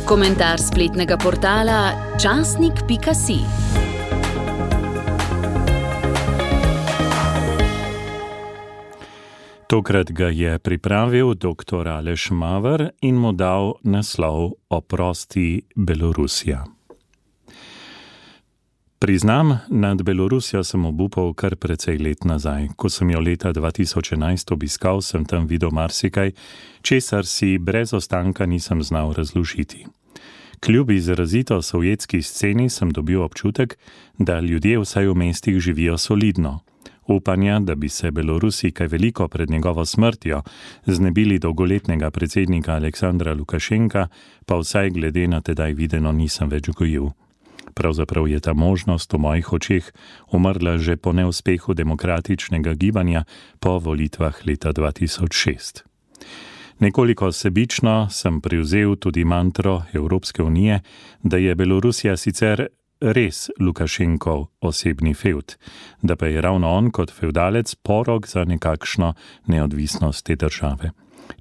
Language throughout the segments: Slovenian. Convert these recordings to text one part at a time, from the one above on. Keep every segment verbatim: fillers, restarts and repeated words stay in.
Komentar spletnega portala časnik pika si. Tokrat ga je pripravil doktor Aleš Maver in mu dal naslov Oprosti Belorusija. Priznam, nad Belorusijo sem obupal kar precej let nazaj. Ko sem jo leta dva tisoč enajst obiskal, sem tam videl marsikaj, česar si brez ostanka nisem znal razložiti. Kljub izrazito sovjetski sceni sem dobil občutek, da ljudje vsaj v mestih živijo solidno. Upanja, da bi se Belorusi kaj veliko pred njegovo smrtjo znebili dolgoletnega predsednika Aleksandra Lukašenka, pa vsaj glede na tedaj videno nisem več gojil. Pravzaprav je ta možnost v mojih očeh umrla že po neuspehu demokratičnega gibanja po volitvah leta dva tisoč šest. Nekoliko sebično sem privzel tudi mantro Evropske unije, da je Belorusija sicer res Lukašenkov osebni fevd, da pa je ravno on kot fevdalec porok za nekakšno neodvisnost te države.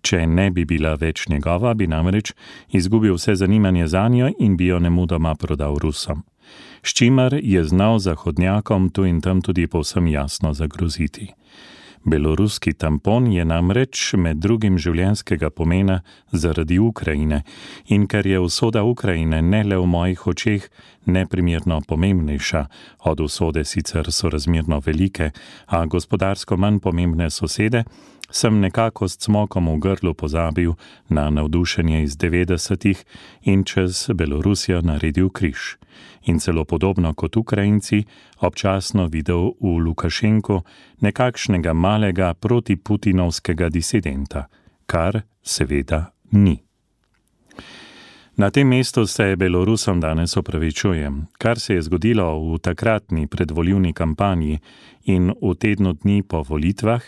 Če ne bi bila več njegova, bi namreč izgubil vse zanimanje zanjo in bi jo nemudoma prodal Rusom. S čimer je znal zahodnjakom tu in tam tudi povsem jasno zagroziti. Beloruski tampon je namreč med drugim življenjskega pomena zaradi Ukrajine in ker je usoda Ukrajine ne le v mojih očeh neprimerno pomembnejša od usode sicer sorazmerno velike, a gospodarsko manj pomembne sosede, sem nekako s cmokom v grlu pozabil na navdušenje iz devetdesetih in čez Belorusijo naredil križ. In celo podobno kot Ukrajinci občasno videl v Lukašenku nekakšnega malega protiputinovskega disidenta, kar seveda ni. Na tem mestu se Belorusom danes opravičujem. Kar se je zgodilo v takratni predvolilni kampanji in v tednu dni po volitvah,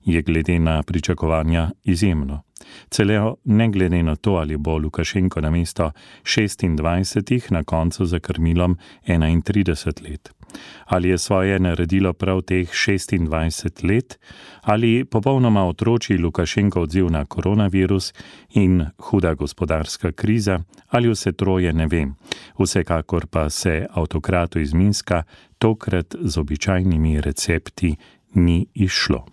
je glede na pričakovanja izjemno. Celo ne glede na to, ali bo Lukašenko namesto šestindvajsetih na koncu za krmilom enaintrideset let. Ali je svoje naredilo prav teh šestindvajset let, ali popolnoma otroči Lukašenko odziv na koronavirus in huda gospodarska kriza, ali vse troje ne vem. Vsekakor pa se avtokratu iz Minska tokrat z običajnimi recepti ni izšlo.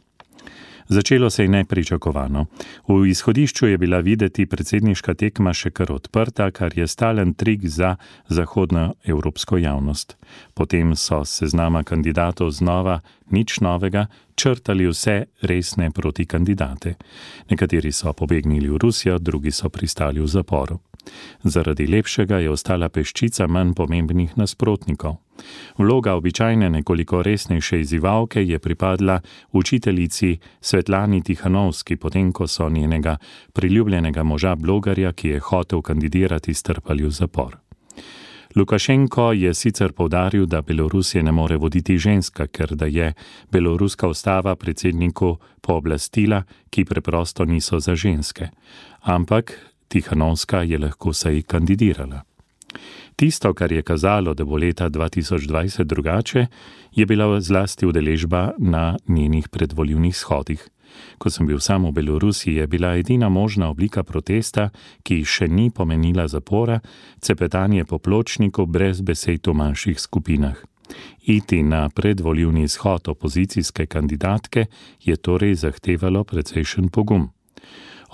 Začelo se je nepričakovano. V izhodišču je bila videti predsedniška tekma še kar odprta, kar je stalen trik za zahodno evropsko javnost. Potem so seznama kandidatov znova, nič novega, črtali vse resne protikandidate. Nekateri so pobegnili v Rusijo, drugi so pristali v zaporu. Zaradi lepšega je ostala peščica manj pomembnih nasprotnikov. Vloga običajne nekoliko resnejše izzivalke je pripadla učiteljici Svetlani Tihanovski, potem ko so njenega priljubljenega moža blogerja, ki je hotel kandidirati, strpali v zapor. Lukašenko je sicer poudaril, da Belorusije ne more voditi ženska, ker da je beloruska ustava predsedniku pooblastila, ki preprosto niso za ženske. Ampak Tihanovska je lahko saj kandidirala. Tisto, kar je kazalo, da bo leta dva tisoč dvajset drugače, je bila zlasti udeležba na njenih predvolilnih shodih. Ko sem bil sam v Belorusiji, je bila edina možna oblika protesta, ki še ni pomenila zapora, cepetanje po pločniku brez besed v manjših skupinah. Iti na predvolilni shod opozicijske kandidatke je torej zahtevalo precejšen pogum.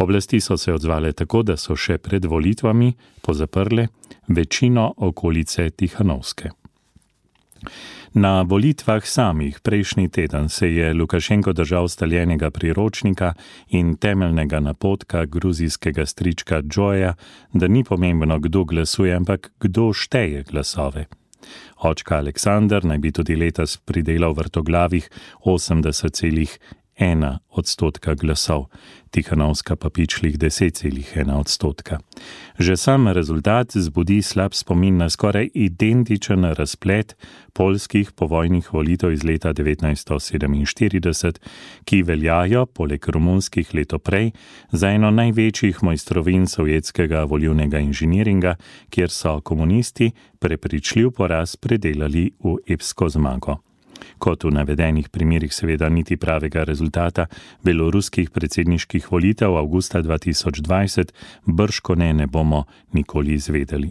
Oblasti so se odzvale tako, da so še pred volitvami pozaprle večino okolice Tihanovske. Na volitvah samih prejšnji teden se je Lukašenko držal staljenega priročnika in temeljnega napotka gruzijskega strička Džoja, da ni pomembno, kdo glasuje, ampak kdo šteje glasove. Očka Aleksander naj bi tudi letos pridelal vrtoglavih osemdeset celih ena odstotka glasov, Tihanovska pa pičlih deset celih ena odstotka. Že sam rezultat zbudi slab spomin na skoraj identičen razplet poljskih povojnih volitev iz leta devetnajststo sedeminštirideset, ki veljajo, poleg romunskih leto prej, za eno največjih mojstrovin sovjetskega volilnega inženiringa, kjer so komunisti prepričljiv poraz predelali v epsko zmago. Kot v navedenih primerih seveda niti pravega rezultata beloruskih predsedniških volitev avgusta dva tisoč dvajset bržkone ne bomo nikoli izvedeli.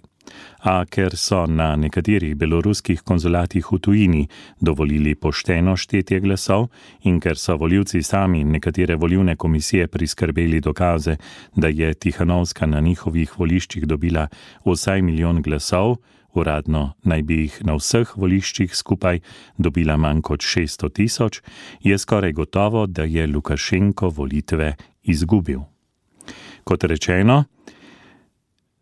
A ker so na nekaterih beloruskih konzulatih v tujini dovolili pošteno štetje glasov in ker so volivci sami nekatere volilne komisije priskrbeli dokaze, da je Tihanovska na njihovih voliščih dobila vsaj milijon glasov, uradno naj bi jih na vseh voliščih skupaj dobila manj kot šeststo tisoč, je skoraj gotovo, da je Lukašenko volitve izgubil. Kot rečeno,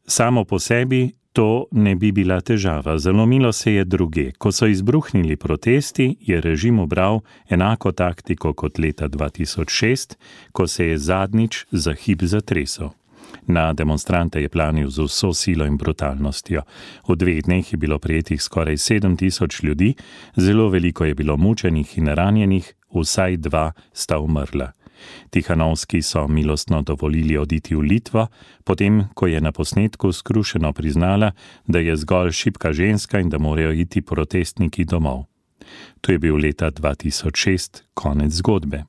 samo po sebi to ne bi bila težava. Zalomilo se je druge. Ko so izbruhnili protesti, je režim ubral enako taktiko kot leta dva tisoč šest, ko se je zadnjič za hip zatresel. Na demonstrante je planil z vso silo in brutalnostjo. V dveh dneh je bilo prijetih skoraj sedem tisoč ljudi, zelo veliko je bilo mučenih in ranjenih, vsaj dva sta umrla. Tihanovski so milostno dovolili oditi v Litvo, potem ko je na posnetku skrušeno priznala, da je zgolj šibka ženska in da morajo iti protestniki domov. To je bil leta dva tisoč šest konec zgodbe.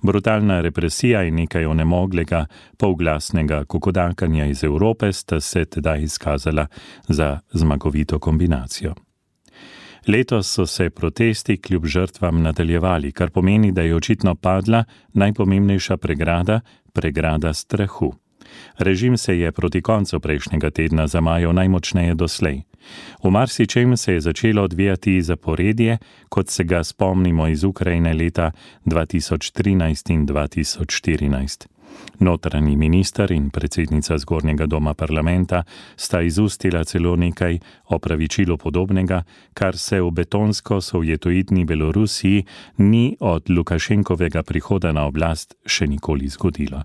Brutalna represija in nekaj onemoglega, polglasnega kokodakanja iz Evrope sta se tedaj izkazala za zmagovito kombinacijo. Letos so se protesti kljub žrtvam nadaljevali, kar pomeni, da je očitno padla najpomembnejša pregrada, pregrada strahu. Režim se je proti koncu prejšnjega tedna zamajal najmočneje doslej. V marsičem se je začelo odvijati zaporedje, kot se ga spomnimo iz Ukrajine leta dva tisoč trinajst in dva tisoč štirinajst. Notranji minister in predsednica Zgornjega doma parlamenta sta izustila celo nekaj opravičilu podobnega, kar se v betonsko sovjetoidni Belorusiji ni od Lukašenkovega prihoda na oblast še nikoli zgodilo.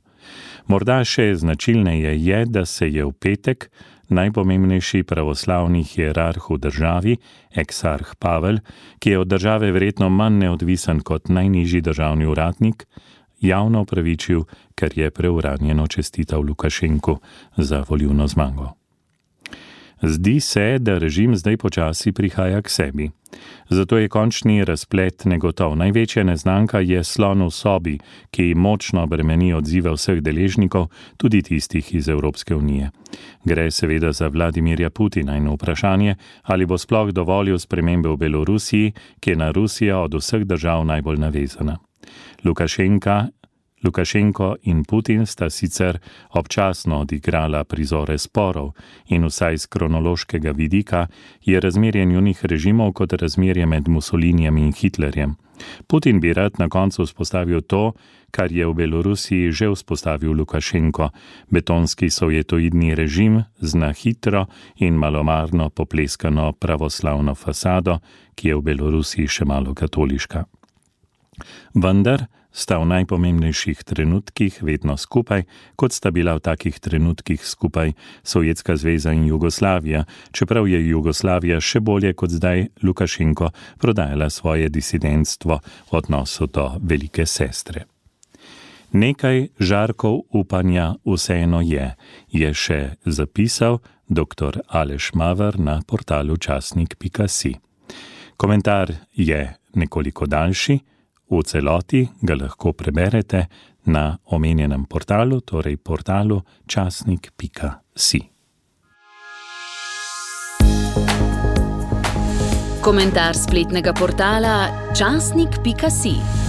Morda še značilneje je, da se je v petek najpomembnejši pravoslavni hierarh v državi, eksarh Pavel, ki je od države verjetno manj neodvisen kot najnižji državni uradnik, javno opravičil, ker je preuranjeno čestital Lukašenku za volilno zmago. Zdi se, da režim zdaj počasi prihaja k sebi. Zato je končni razplet negotov. Največja neznanka je slon v sobi, ki močno bremeni odzive vseh deležnikov, tudi tistih iz Evropske unije. Gre seveda za Vladimirja Putina in vprašanje, ali bo sploh dovolil spremembe v Belorusiji, ki je na Rusijo od vseh držav najbolj navezana. Lukašenka, Lukašenko in Putin sta sicer občasno odigrala prizore sporov in vsaj z kronološkega vidika je razmerje njunih režimov kot razmerje med Mussolinijem in Hitlerjem. Putin bi rad na koncu vzpostavil to, kar je v Belorusiji že vzpostavil Lukašenko, betonski sovjetoidni režim z na hitro in malomarno popleskano pravoslavno fasado, ki je v Belorusiji še malo katoliška. Vendar sta v najpomembnejših trenutkih vedno skupaj, kot sta bila v takih trenutkih skupaj Sovjetska zveza in Jugoslavija, čeprav je Jugoslavija še bolje kot zdaj Lukašenko prodajala svoje disidentstvo v odnosu do velike sestre. Nekaj žarkov upanja vseeno je, je še zapisal doktor Aleš Maver na portalu časnik pika si. Komentar je nekoliko daljši, v celoti ga lahko preberete na omenjenem portalu, torej portalu časnik pika si. Komentar spletnega portala časnik pika si.